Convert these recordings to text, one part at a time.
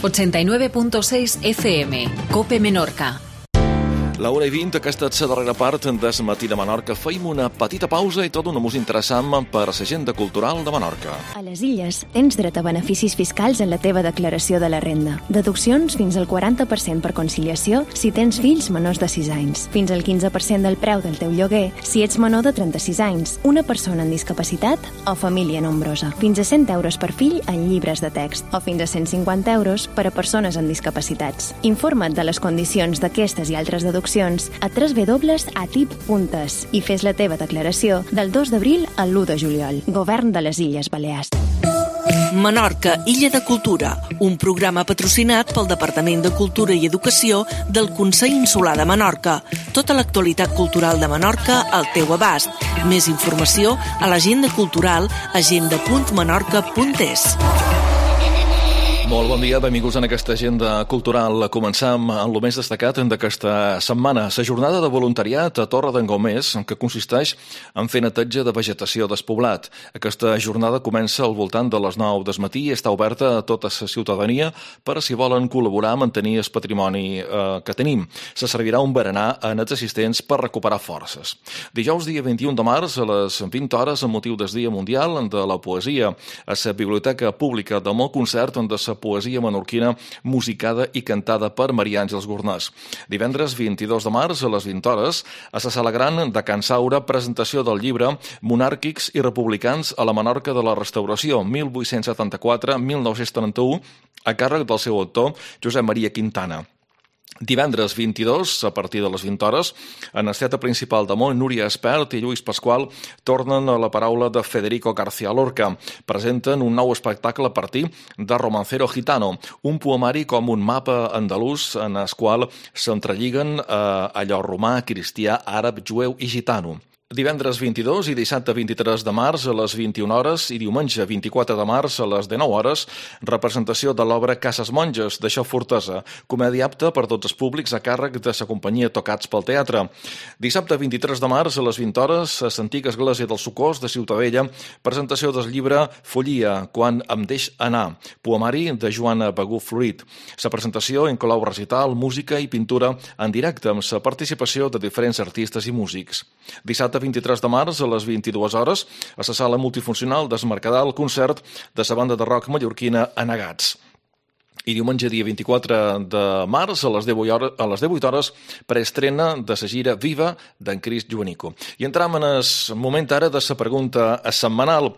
89.6 FM, COPE Menorca. La 1:20, aquesta és la darrera part del Matí de Menorca. Feim una petita pausa i tot una música interessant per a l'agenda cultural de Menorca. A les Illes tens dret a beneficis fiscals en la teva declaració de la renda. Deduccions fins al 40% per conciliació si tens fills menors de 6 anys. Fins al 15% del preu del teu lloguer si ets menor de 36 anys, una persona amb discapacitat o família nombrosa. Fins a 100 euros per fill en llibres de text o fins a 150 euros per a persones amb discapacitats. Informa't de les condicions d'aquestes i altres deduccions a www.atip.es i fes la teva declaració del 2 d'abril al 1 de juliol. Govern de les Illes Balears. Menorca, Illa de Cultura, un programa patrocinat pel Departament de Cultura i Educació del Consell Insular de Menorca. Tota l'actualitat cultural de Menorca al teu abast. Més informació a l'agenda cultural agenda.menorca.es. Molt bon dia, benvinguts en aquesta agenda cultural. Començam amb el més destacat d'aquesta setmana, la jornada de voluntariat a Torre d'en Gomés, que consisteix en fer neteja de vegetació despoblat. Aquesta jornada comença al voltant de les 9 del matí i està oberta a tota la ciutadania per a si volen col·laborar a mantenir el patrimoni que tenim. Se servirà un berenar a nets assistents per recuperar forces. Dijous, dia 21 de març, a les 20 hores, amb motiu del Dia Mundial de la Poesia, a la Biblioteca Pública de Mó, concert de la poesia menorquina musicada i cantada per Maria Àngels Gornàs. Divendres 22 de març a les 20 hores a la Sala Gran de Can Saura, presentació del llibre Monàrquics i republicans a la Menorca de la Restauració 1874-1931 a càrrec del seu autor Josep Maria Quintana. Divendres 22, a partir de les 20 hores, en el teatre principal de Mont, Núria Espert i Lluís Pasqual tornen a la paraula de Federico García Lorca. Presenten un nou espectacle a partir de Romancero Gitano, un poemari com un mapa andalús en el qual s'entrelliguen allò romà, cristià, àrab, jueu i gitano. Divendres 22 i dissabte 23 de març a les 21 hores i diumenge 24 de març a les 19 hores, representació de l'obra Cases Monges, de Xo Fortesa, comèdia apta per tots els públics a càrrec de la companyia Tocats pel Teatre. Dissabte 23 de març a les 20 hores a l'antiga església del Socors de Ciutadella, presentació del llibre Follia, quan em deix anar, poemari de Joana Begú Florit. La presentació inclou recital, música i pintura en directe amb la participació de diferents artistes i músics. Dissabte 23 de març a les 22 hores a la sala multifuncional del Mercadal, concert de la banda de rock mallorquina Anegats. I diumenge, dia 24 de març, a les 18 hores, preestrena de la gira Viva d'en Cris Joanico. I entram en el moment ara de la pregunta setmanal.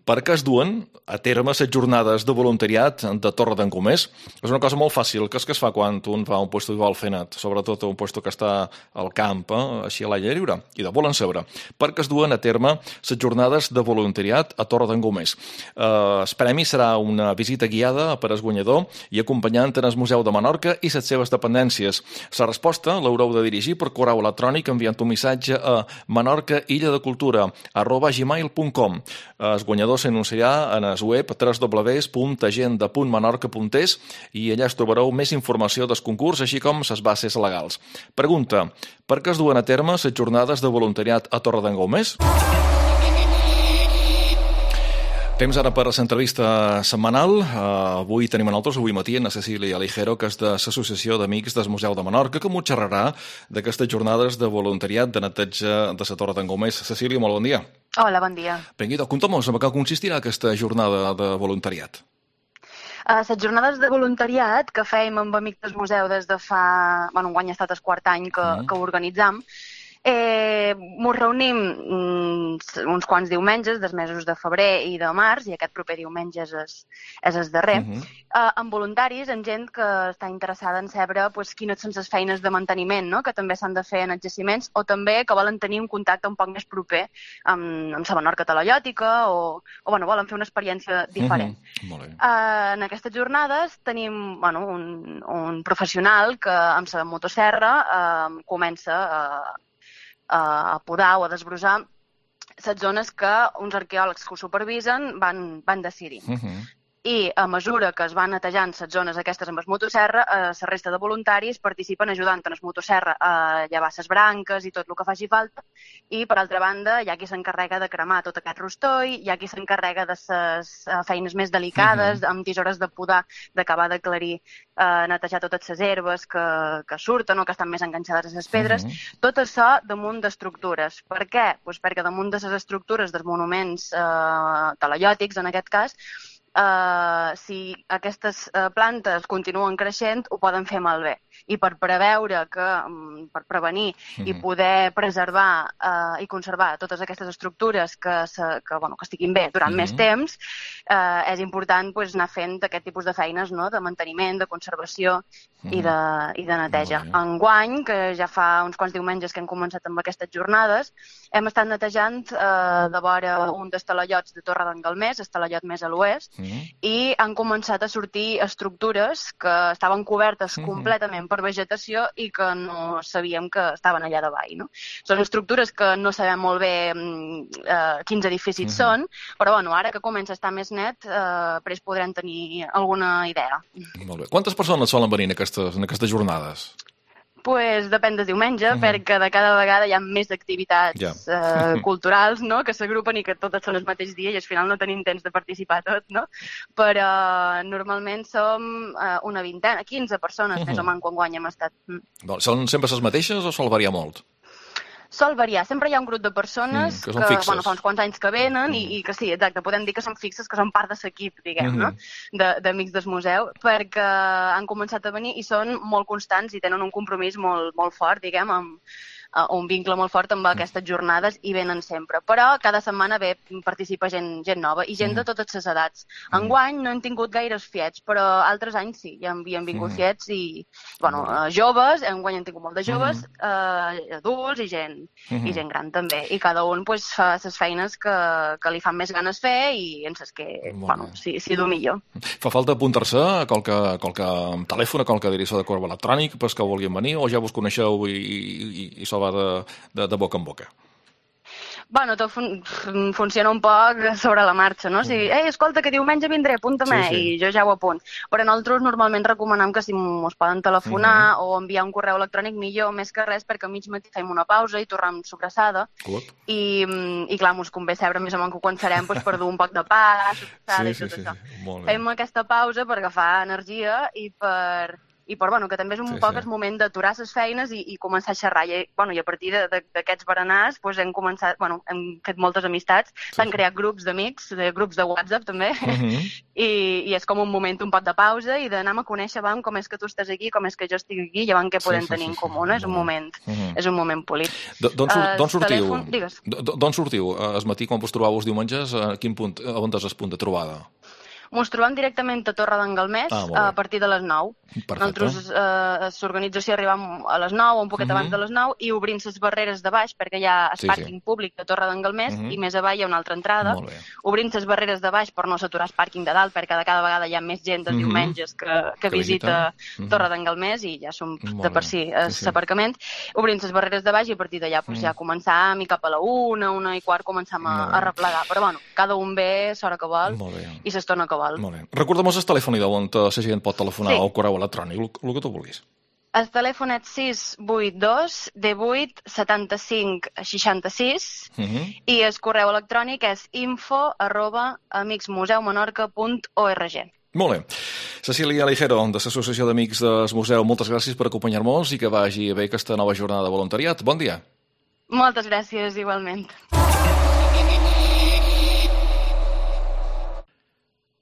Per què es duen a terme les jornades de voluntariat de Torre d'en Gomés? És una cosa molt fàcil, que és que es fa quan un va a un puesto igual fer net, sobretot a un puesto que està al camp, així a l'aire lliure, i de volen saber. Per què es duen a terme les jornades de voluntariat a Torre d'en Gomés? El premi serà una visita guiada per al guanyador i acompanyant en el Museu de Menorca i les seves dependències. La resposta l'haureu de dirigir per correu electrònic enviant un missatge a menorcailla-de-cultura@gmail.com. El guanyador s'anunciarà en el web www.agenda.menorca.es i allà es trobareu més informació del concurs, així com les bases legals. Pregunta: per què es duen a terme les jornades de voluntariat a Torre d'en Gomés? Temps ara per l'entrevista setmanal. Avui tenim a nosaltres, avui matí, a Cecília Aligero, que és de l'Associació d'Amics del Museu de Menorca, que m'ho xerrarà d'aquestes jornades de voluntariat de neteja de la Torre d'en Gomés. Cecília, molt bon dia. Hola, bon dia. Vinga, conta'm-nos en què consistirà aquesta jornada de voluntariat. Les jornades de voluntariat que fèiem amb Amics del Museu des de fa... Bueno, enguany ha estat el quart any que ho organitzam. Ens reunim uns quants diumenges dels mesos de febrer i de març, i aquest proper diumenge és el darrer, amb voluntaris, amb gent que està interessada en saber quines són les feines de manteniment que també s'han de fer en els jaciments, o també que volen tenir un contacte un poc més proper amb la Menorca talaiòtica o volen fer una experiència diferent. En aquestes jornades tenim un professional que amb la motosserra comença a podar o a desbrossar les zones que uns arqueòlegs que ho supervisen van decidir. i a mesura que es van netejant les zones aquestes amb el motosserra, la resta de voluntaris participen ajudant en el motosserra a llevar les branques i tot el que faci falta, i per altra banda hi ha qui s'encarrega de cremar tot aquest rostoll, hi ha qui s'encarrega de les feines més delicades, amb tisores de podar, d'acabar d'aclarir, netejar totes les herbes que surten o que estan més enganxades a les pedres, tot això damunt d'estructures. Per què? Pues perquè damunt de les estructures dels monuments talaiòtics, en aquest cas, si aquestes plantes continuen creixent, ho poden fer malbé. I per preveure per prevenir i poder preservar i conservar totes aquestes estructures que estiguin bé durant més temps, és important anar fent aquest tipus de feines, de manteniment, de conservació i de neteja. Enguany, que ja fa uns quants diumenges que hem començat amb aquestes jornades, hem estat netejant de vora un dels talaiots de Torre d'en Galmés, el talaiot més a l'oest, i han començat a sortir estructures que estaven cobertes completament per vegetació i que no sabíem que estaven allà davall. No? Són estructures que no sabem molt bé quins edificis són, però ara que comença a estar més net, després podrem tenir alguna idea. Molt bé. Quantes persones solen venir en aquestes jornades? Pues depèn del diumenge, perquè de cada vegada hi ha més activitats culturals que s'agrupen i que totes són el mateix dia i al final no tenim temps de participar tot, no? Però normalment som una vintena, 15 persones més o menys quan guany hem estat. Són sempre les mateixes o sol variar molt? Sol variar. Sempre hi ha un grup de persones que fa uns quants anys que venen i que sí, exacte, podem dir que són fixes, que són part de l'equip, diguem, no? D'Amics del Museu, perquè han començat a venir i són molt constants i tenen un compromís molt, molt fort, diguem, un vincle molt fort amb aquestes jornades i venen sempre. Però cada setmana participa gent nova i gent de totes les edats. Enguany no hem tingut gaires fiets, però altres anys sí, ja havien vingut fiets i, joves, enguany hem tingut molt de joves, adults i gent gran també. I cada un fa les feines que li fan més ganes fer i en les que, s'hi du millor. Fa falta apuntar-se a qualque telèfon, a qualque direcció de correu electrònic pels que vulguin venir o ja vos coneixeu i va de boca en boca? Tot funciona un poc sobre la marxa, no? Si, escolta, que diumenge vindré, apunta-me, i jo ja ho apunt. Però nosaltres normalment recomanem que si ens poden telefonar o enviar un correu electrònic millor, més que res, perquè a mig matí fem una pausa i tornem sobrassada. I clar, ens convé saber més o menys quan serem per dur un poc de pa, sobrassada i tot això. Fem aquesta pausa per agafar energia i que també és un poc el moment d'aturar les feines i començar a xerrar. I a partir d'aquests berenars hem començat, hem fet moltes amistats, s'han creat grups d'amics, grups de WhatsApp també, i és com un moment, un pot de pausa i d'anar a conèixer com és que tu estàs aquí, com és que jo estic aquí, i què podem tenir en comú. És un moment polit. D'on sortiu? El matí, quan vos trobàveu els diumenges, a quin punt, on és el punt de trobada? Ens trobem directament a Torre d'en Galmés a partir de les 9. Nosaltres, l'organització, arribem a les 9 o un poquet abans de les 9 i obrim les barreres de baix perquè hi ha el pàrquing públic de Torre d'en Galmés i més avall hi ha una altra entrada. Obrim les barreres de baix per no saturar el pàrquing de dalt perquè cada vegada hi ha més gent dels diumenges que visita Torre d'en Galmés i ja som de per si l'aparcament. Obrim les barreres de baix i a partir d'allà ja començam i cap a la 1:15 començam a replegar. Però cada un ve l'hora que vol i l'estona que vol. Recorda'm el telèfon on la gent pot telefonar o correu electrònic, el que tu vulguis. El telèfon és 682 18 75 66 i el correu electrònic és info@amicsmuseumenorca.org. Molt bé. Cecília Ligero, de l'Associació d'Amics del Museu, moltes gràcies per acompanyar-nos i que vagi bé aquesta nova jornada de voluntariat. Bon dia. Moltes gràcies, igualment.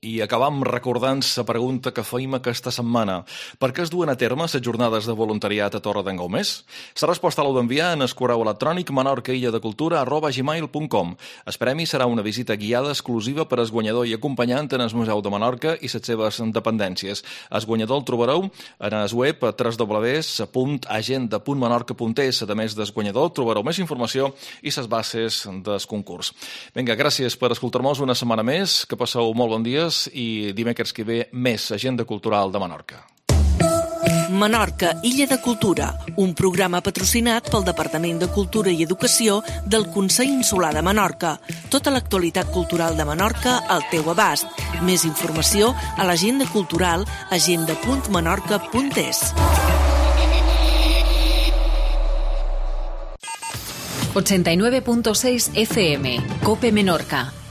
I acabam recordant la pregunta que feim aquesta setmana. Per què es duen a terme les jornades de voluntariat a Torre d'en Galmés? La resposta l'heu d'enviar en el correu electrònic menorcailledecultura@gmail.com. El premi serà una visita guiada exclusiva per al guanyador i acompanyant en el Museu de Menorca i les seves dependències. El guanyador el trobareu en el web www.agenda.menorca.es. A més del guanyador trobareu més informació i les bases del concurs. Vinga, gràcies per escoltar-nos una setmana més. Que passeu molt bon dia i dimecres que ve més Agenda Cultural de Menorca. Menorca, Illa de Cultura, un programa patrocinat pel Departament de Cultura i Educació del Consell Insular de Menorca. Tota l'actualitat cultural de Menorca al teu abast. Més informació a l'agenda cultural agenda.menorca.es. 89.6 FM, COPE Menorca.